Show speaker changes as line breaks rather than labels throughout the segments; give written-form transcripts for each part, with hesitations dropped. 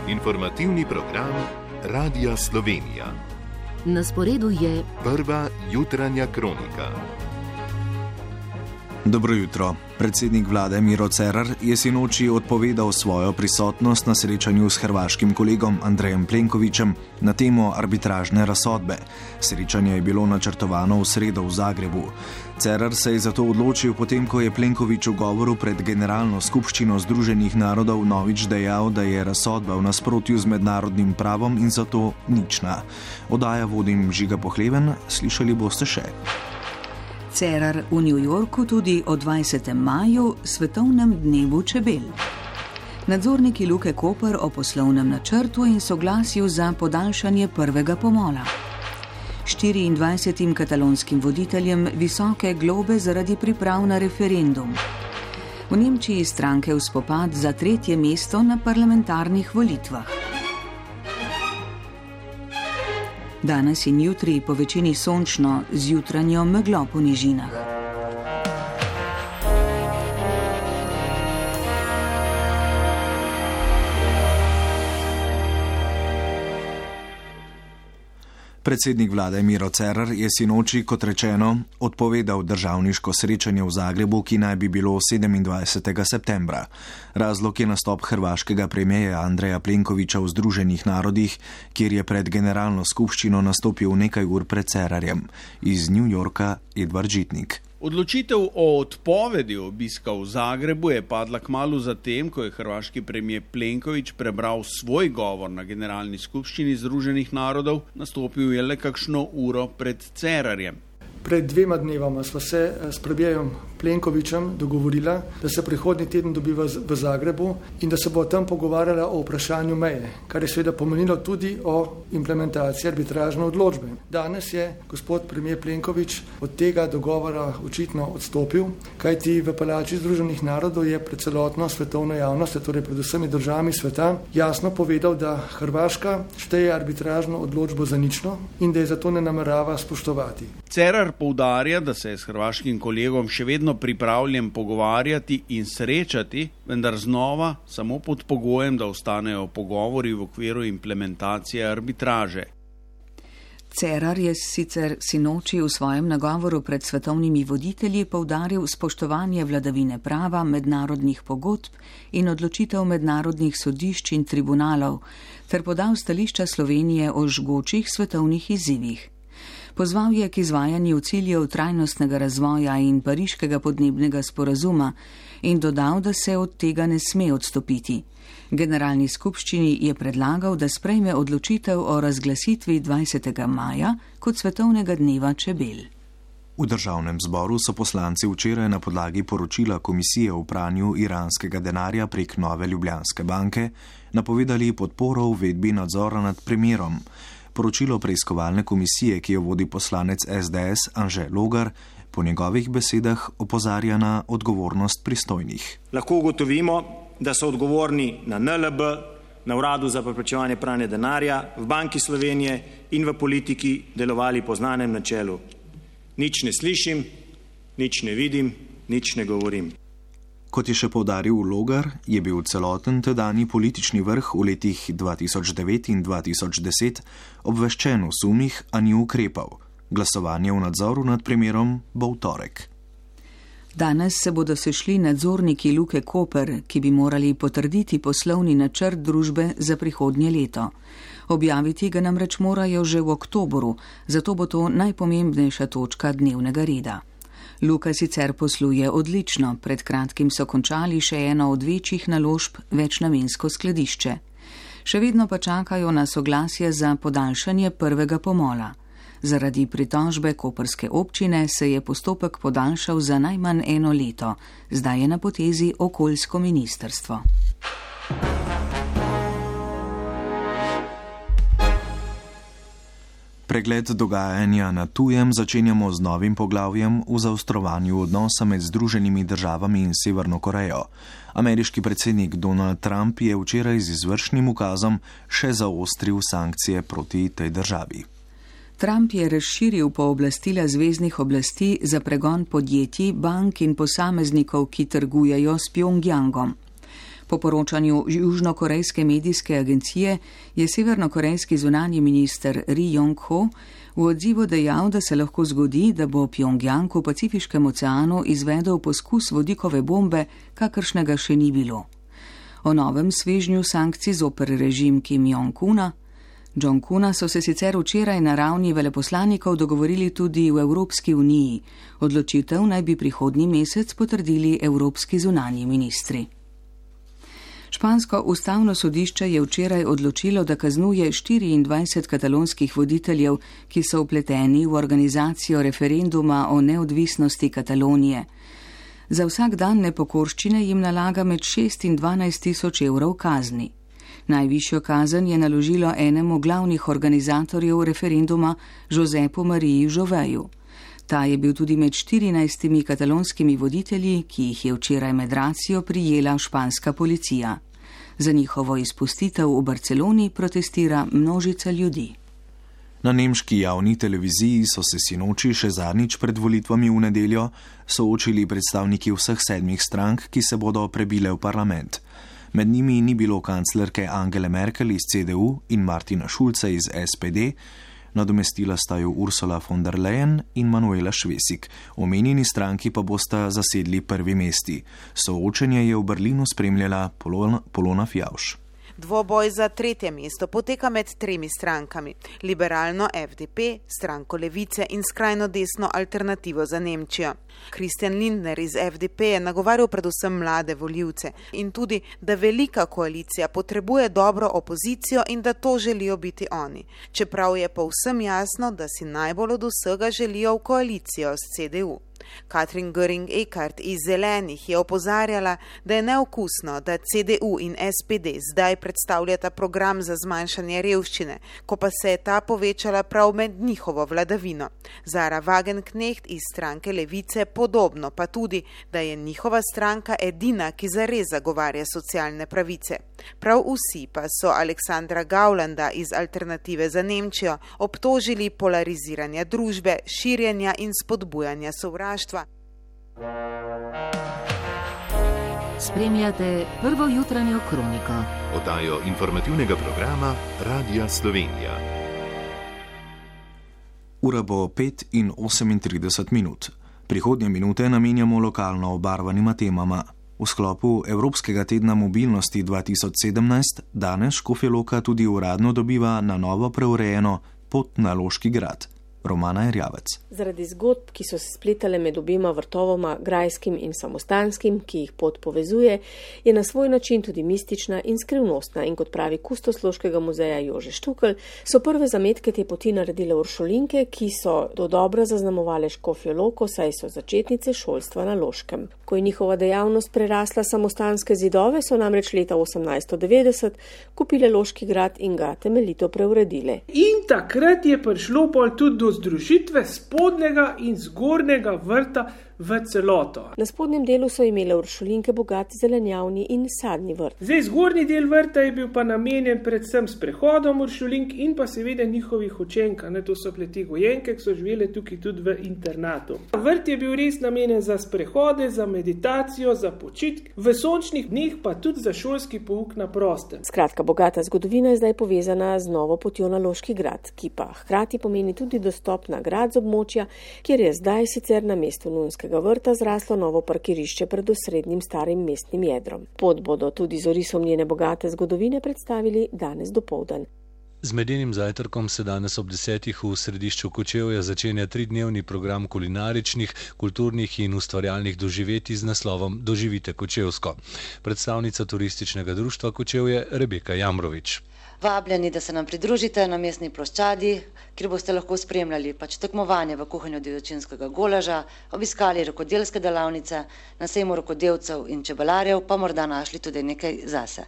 Informativni program Radia Slovenija.
Na sporedu je
prva jutranja kronika.
Dobro jutro. Predsednik vlade Miro Cerar je sinoči odpovedal svojo prisotnost na srečanju s hrvaškim kolegom Andrejem Plenkovićem na temo arbitražne razsodbe. Srečanje je bilo načrtovano v sredo v Zagrebu. Cerar se je zato odločil, potem ko je Plenković v govoru pred Generalno skupščino Združenih narodov novič dejal, da je razsodba v nasprotju z mednarodnim pravom in zato nična. Oddaja vodim Žiga Pohleven, slišali boste še.
Cerar v New Yorku tudi o 20. maju, svetovnem dnevu čebel. Nadzorniki Luke Koper o poslovnem načrtu in soglasju za podaljšanje prvega pomola. 24 katalonskim voditeljem visoke globe zaradi priprav na referendum. V Nemčiji stranke v spopad za 3. mesto na parlamentarnih volitvah. Danes in jutri po večini sončno, z jutranjo meglo po nižinah.
Predsednik vlade Miro Cerar je sinoči, kot rečeno, odpovedal državniško srečanje v Zagrebu, ki naj bi bilo 27. septembra. Razlog je nastop hrvaškega premijeja Andreja Plenkovića v Združenih narodih, kjer je pred Generalno skupščino nastopil nekaj ur pred Cerarjem. Iz New Yorka Edvard Žitnik.
Odločitev o odpovedi obiska v Zagrebu je padla kmalu zatem, ko je hrvaški premijer Plenković prebral svoj govor na Generalni skupščini Združenih narodov, nastopil je le kakšno uro pred Cerarjem.
Pred 2 dnevama sva se s premijerom Plenkovićem dogovorila, da se prihodnji teden dobiva v Zagrebu in da se bo tam pogovarjala o vprašanju meje, kar je seveda pomenilo tudi o implementaciji arbitražne odločbe. Danes je gospod premijer Plenković od tega dogovora očitno odstopil, kajti v Palači Združenih narodov je pred celotno svetovno javnost, torej pred vsemi državami sveta, jasno povedal, da Hrvaška šteje arbitražno odločbo za nično in da je zato ne namerava spoštovati.
Cerar poudarja, da se je s hrvaškim kolegom še vedno pripravljen pogovarjati in srečati, vendar znova samo pod pogojem, da ostanejo pogovori v okviru implementacije arbitraže.
Cerar je sicer sinoči v svojem nagovoru pred svetovnimi voditelji poudaril spoštovanje vladavine prava, mednarodnih pogodb in odločitev mednarodnih sodišč in tribunalov, ter podal stališča Slovenije o žgočih svetovnih izzivih. Pozval je k izvajanju ciljev trajnostnega razvoja in pariškega podnebnega sporazuma in dodal, da se od tega ne sme odstopiti. Generalni skupščini je predlagal, da sprejme odločitev o razglasitvi 20. maja kot svetovnega dneva čebel.
V državnem zboru so poslanci včeraj na podlagi poročila Komisije o pranju iranskega denarja prek Nove Ljubljanske banke napovedali podporo uvedbi nadzora nad premijerom. Poročilo preiskovalne komisije, ki jo vodi poslanec SDS Anže Logar, po njegovih besedah opozarja na odgovornost pristojnih.
Lahko ugotovimo, da so odgovorni na NLB, na Uradu za preprečevanje pranja denarja, v Banki Slovenije in v politiki delovali po znanem načelu. Nič ne slišim, nič ne vidim, nič ne govorim.
Kot je še poudaril Logar, je bil celoten tedanji politični vrh v letih 2009 in 2010 obveščen o sumih, a ni ukrepal. Glasovanje v nadzoru nad primerom bo v torek.
Danes se bodo sešli nadzorniki Luke Koper, ki bi morali potrditi poslovni načrt družbe za prihodnje leto. Objaviti ga namreč morajo že v oktobru, zato bo to najpomembnejša točka dnevnega reda. Luka sicer posluje odlično, pred kratkim so končali še eno od večjih naložb, večnamensko skladišče. Še vedno pa čakajo na soglasje za podaljšanje prvega pomola. Zaradi pritožbe koprske občine se je postopek podaljšal za najmanj 1 leto, zdaj je na potezi okoljsko ministrstvo.
Pregled dogajanja na tujem začenjamo z novim poglavjem v zaostrovanju odnosa med Združenimi državami in Severno Korejo. Ameriški predsednik Donald Trump je včeraj z izvršnim ukazom še zaostril sankcije proti tej državi.
Trump je razširil pooblastila zveznih oblasti za pregon podjetij, bank in posameznikov, ki trgujejo s Pjongjangom. Po poročanju južnokorejske medijske agencije je severnokorejski zunanji minister Ri Yong-ho v odzivu dejal, da se lahko zgodi, da bo Pjongjang v Pacifiškem oceanu izvedel poskus vodikove bombe, kakršnega še ni bilo. O novem svežnju sankcij zoper režim Kim Jong-una so se sicer včeraj na ravni veleposlanikov dogovorili tudi v Evropski uniji. Odločitev naj bi prihodnji mesec potrdili evropski zunanji ministri. Špansko ustavno sodišče je včeraj odločilo, da kaznuje 24 katalonskih voditeljev, ki so vpleteni v organizacijo referenduma o neodvisnosti Katalonije. Za vsak dan nepokorščine jim nalaga med 6 in 12 tisoč evrov kazni. Najvišjo kazen je naložilo enemu glavnih organizatorjev referenduma, Josepu Mariji Žoveju. Ta je bil tudi med 14 katalonskimi voditelji, ki jih je včeraj med racijo prijela španska policija. Za njihovo izpustitev v Barceloni protestira množica ljudi.
Na nemški javni televiziji so se sinoči še zadnjič pred volitvami v nedeljo soočili predstavniki vseh 7 strank, ki se bodo prebile v parlament. Med njimi ni bilo kanclerke Angele Merkel iz CDU in Martina Schulza iz SPD, nadomestila sta ju Ursula von der Leyen in Manuela Schwesig. Omenjeni stranki pa bosta zasedli prvi mesti. Soočenje je v Berlinu spremljala Polona Fjauš.
Dvoboj za 3. mesto poteka med 3 strankami: liberalno FDP, stranko Levice in skrajno desno Alternativo za Nemčijo. Christian Lindner iz FDP je nagovarjal predvsem mlade volivce in tudi, da velika koalicija potrebuje dobro opozicijo in da to želijo biti oni. Čeprav je povsem jasno, da si najbolj od vsega želijo v koalicijo s CDU. Katrin Göring-Eckardt iz Zelenih je opozarjala, da je neokusno, da CDU in SPD zdaj predstavljata program za zmanjšanje revščine, ko pa se je ta povečala prav med njihovo vladavino. Zara Wagenknecht iz stranke Levice podobno, pa tudi, da je njihova stranka edina, ki zares zagovarja socialne pravice. Prav vsi pa so Aleksandra Gaulanda iz Alternative za Nemčijo obtožili polariziranja družbe, širjenja in spodbujanja sovraštva.
Spremljate prvo jutranjo kroniko.
Oddajo informativnega programa Radia Slovenija.
Ura bo 5 in 38 minut. Prihodnje minute namenjamo lokalno obarvanima temama. V sklopu Evropskega tedna mobilnosti 2017 danes Škofja Loka tudi uradno dobiva na novo preurejeno pot na Loški grad. Romana Erjavec.
Zaradi zgodb, ki so se spletale med obema vrtovoma, grajskim in samostanskim, ki jih pot povezuje, je na svoj način tudi mistična in skrivnostna in kot pravi kustos Loškega muzeja Jože Štukl, so prve zametke te poti naredile uršulinke, ki so dodobra zaznamovale Škofjo Loko, saj so začetnice šolstva na Loškem. Ko je njihova dejavnost prerasla samostanske zidove, so namreč leta 1890 kupile Loški grad in ga temeljito preuredile.
In takrat je prišlo tudi do združitve spodnjega in zgornjega vrta v celoto.
Na spodnjem delu so imele uršulinke bogat zelenjavni in sadni vrt.
Zdaj, zgornji del vrta je bil pa namenjen predvsem sprehodom uršulink in pa seveda njihovih učenka. To so pleti gojenke, ki so živele tukaj tudi v internatu. Vrt je bil res namenjen za sprehode, za meditacijo, za počitk, v sončnih dneh pa tudi za šolski pouk na prostem.
Skratka, bogata zgodovina je zdaj povezana z novo potjo na Loški grad, ki pa hkrati pomeni tudi dostop na grad z območja, kjer je zdaj sicer na mestu Nunskega vrta zraslo novo parkirišče pred osrednjim starim mestnim jedrom. Pot bodo tudi z orisom njene bogate zgodovine predstavili danes dopoldan.
Z medenim zajtrkom se danes ob 10. v središču Kočevja začenja 3-dnevni program kulinaričnih, kulturnih in ustvarjalnih doživetij z naslovom Doživite Kočevsko. Predstavnica turističnega društva Kočevje Rebeka Jamrovič.
Vabljeni, da se nam pridružite na mestni ploščadi, kjer boste lahko spremljali tekmovanje v kuhanju divjačinskega golaža, obiskali rokodelske delavnice, na sejmu rokodelcev in čebelarjev pa morda našli tudi nekaj zase.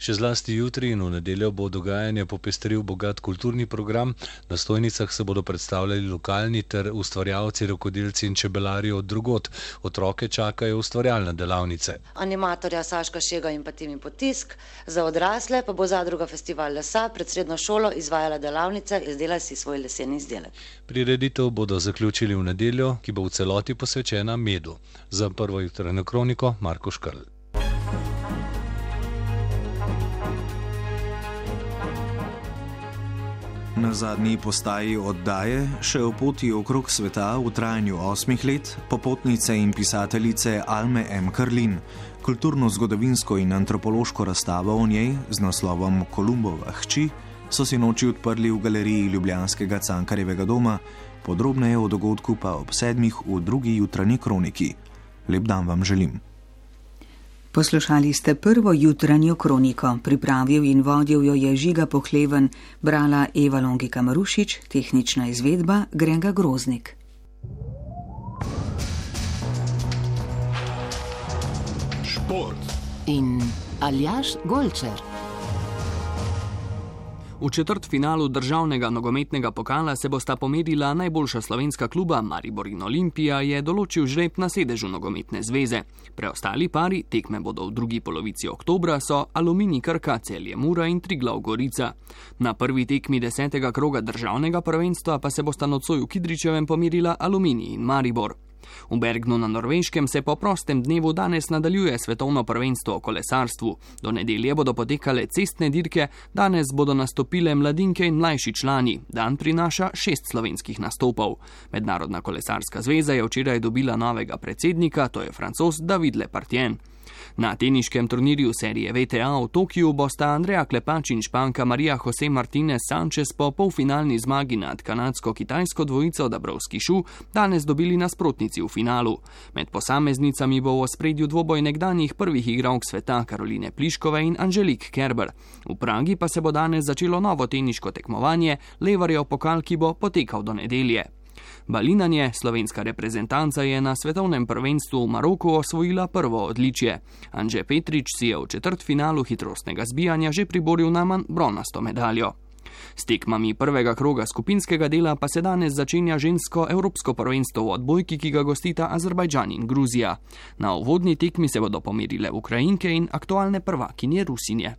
Še zlasti jutri in v nedeljo bo dogajanje popestril bogat kulturni program. Na stojnicah se bodo predstavljali lokalni ter ustvarjalci, rokodelci in čebelarji od drugod. Otroke čakajo ustvarjalne delavnice.
Animatorja Saška Šega in pa Timi Potisk, za odrasle pa bo zadruga Festival lesa pred srednjo šolo izvajala delavnice Izdelaj si svoj leseni izdelek.
Prireditev bodo zaključili v nedeljo, ki bo v celoti posvečena medu. Za prvo jutranjo kroniko Marko Škrl.
Na zadnji postaji oddaje, še o poti okrog sveta v trajanju 8 let, popotnice in pisateljice Alme M. Karlin, kulturno-zgodovinsko in antropološko razstavo o njej z naslovom Kolumbova hči, so si noči odprli v galeriji ljubljanskega Cankarjevega doma, podrobneje o dogodku pa ob 7 v drugi jutranji kroniki. Lep dan vam želim.
Poslušali ste prvo jutranjo kroniko. Pripravil in vodil jo je Žiga Pohleven, brala Eva Longika Marušič, tehnična izvedba Grega Groznik.
Šport
in Aljaž Golčer.
V četrtfinalu državnega nogometnega pokala se bosta pomerila najboljša slovenska kluba, Maribor in Olimpija, je določil žreb na sedežu nogometne zveze. Preostali pari, tekme bodo v drugi polovici oktobra, so Aluminij Krka, Celje Mura in Triglav Gorica. Na prvi tekmi 10. kroga državnega prvenstva pa se bosta nocoj v Kidričevem pomerila Aluminij in Maribor. V Bergnu na Norveškem se po prostem dnevu danes nadaljuje svetovno prvenstvo o kolesarstvu. Do nedelje bodo potekale cestne dirke, danes bodo nastopile mladinke in mlajši člani. Dan prinaša 6 slovenskih nastopov. Mednarodna kolesarska zveza je včeraj dobila novega predsednika, to je Francoz David Lepartien. Na teniškem turnirju serije VTA v Tokiju bosta Andreja Klepač in Španka Maria Jose Martinez Sanchez po polfinalni zmagi nad kanadsko-kitajsko dvojico Dabrowski-Shu danes dobili nasprotnici v finalu. Med posameznicami bo v ospredju dvoboj nekdanjih prvih igralk sveta Karoline Pliškove in Angelique Kerber. V Pragi pa se bo danes začelo novo teniško tekmovanje, Levarjev pokal, ki bo potekal do nedelje. Balinanje, slovenska reprezentanca je na svetovnem prvenstvu v Maroku osvojila prvo odličje. Anže Petrič si je v četrtfinalu hitrostnega zbijanja že priboril najmanj bronasto medaljo. S tekmami prvega kroga skupinskega dela pa se danes začenja žensko evropsko prvenstvo v odbojki, ki ga gostita Azerbajdžan in Gruzija. Na uvodni tekmi se bodo pomerile Ukrajinke in aktualne prvakinje Rusinje.